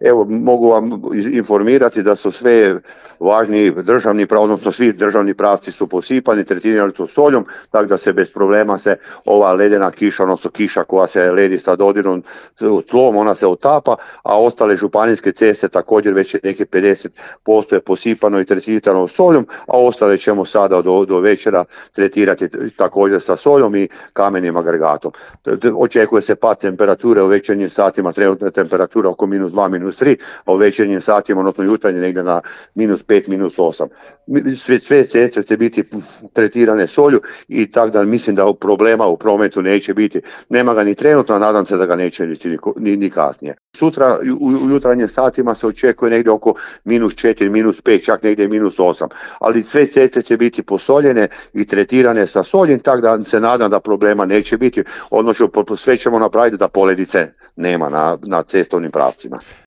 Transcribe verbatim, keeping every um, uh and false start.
Evo, mogu vam informirati da su sve važni državni, odnosno svi državni pravci su posipani, tretirani su soljom, tako da se bez problema se ova ledena kiša, odnosno kiša koja se ledi sa dodirom tlom, ona se otapa, a ostale županijske ceste također već je neki pedeset posto je posipano i tretirano soljom, a ostale ćemo sada do, do večera tretirati također sa soljom i kamenim agregatom. Očekuje se pad temperature u večernjim satima, trenutna temperatura oko minus dva, minus tri, a u večernjim satima, odnosno jutarnje negdje na minus pet, minus osam. Sve, sve ceste će biti tretirane solju i tako da mislim da problema u prometu neće biti. Nema ga ni trenutno, a nadam se da ga neće ni, ni, ni kasnije. Sutra u, u jutranjim satima se očekuje negdje oko minus četiri, minus pet, čak negdje minus osam. Ali sve ceste će biti posoljene i tretirane sa soljem, tako da se nadam da problema neće biti. Odnosno sve ćemo napraviti da poledice nema na, na cestovnim pravcima.